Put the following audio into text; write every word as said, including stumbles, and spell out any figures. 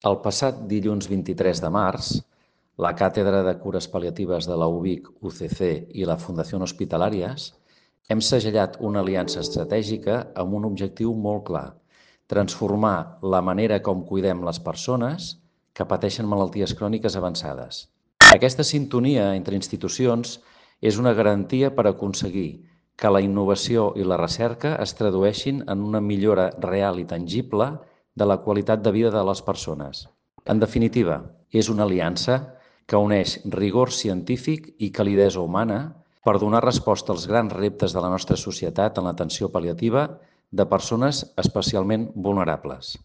El passat dilluns vint-i-tres de març, la Càtedra de Cures Pal·liatives de la U B I C U C C i la Fundació Hospitalàries hem segellat una aliança estratègica amb un objectiu molt clar: transformar la manera com cuidem les persones que pateixen malalties cròniques avançades. Aquesta sintonia entre institucions és una garantia per aconseguir que la innovació i la recerca es tradueixin en una millora real i tangible de la qualitat de vida de les persones. En definitiva, és una aliança que uneix rigor científic i calidesa humana per donar resposta als grans reptes de la nostra societat en l'atenció pal·liativa de persones especialment vulnerables.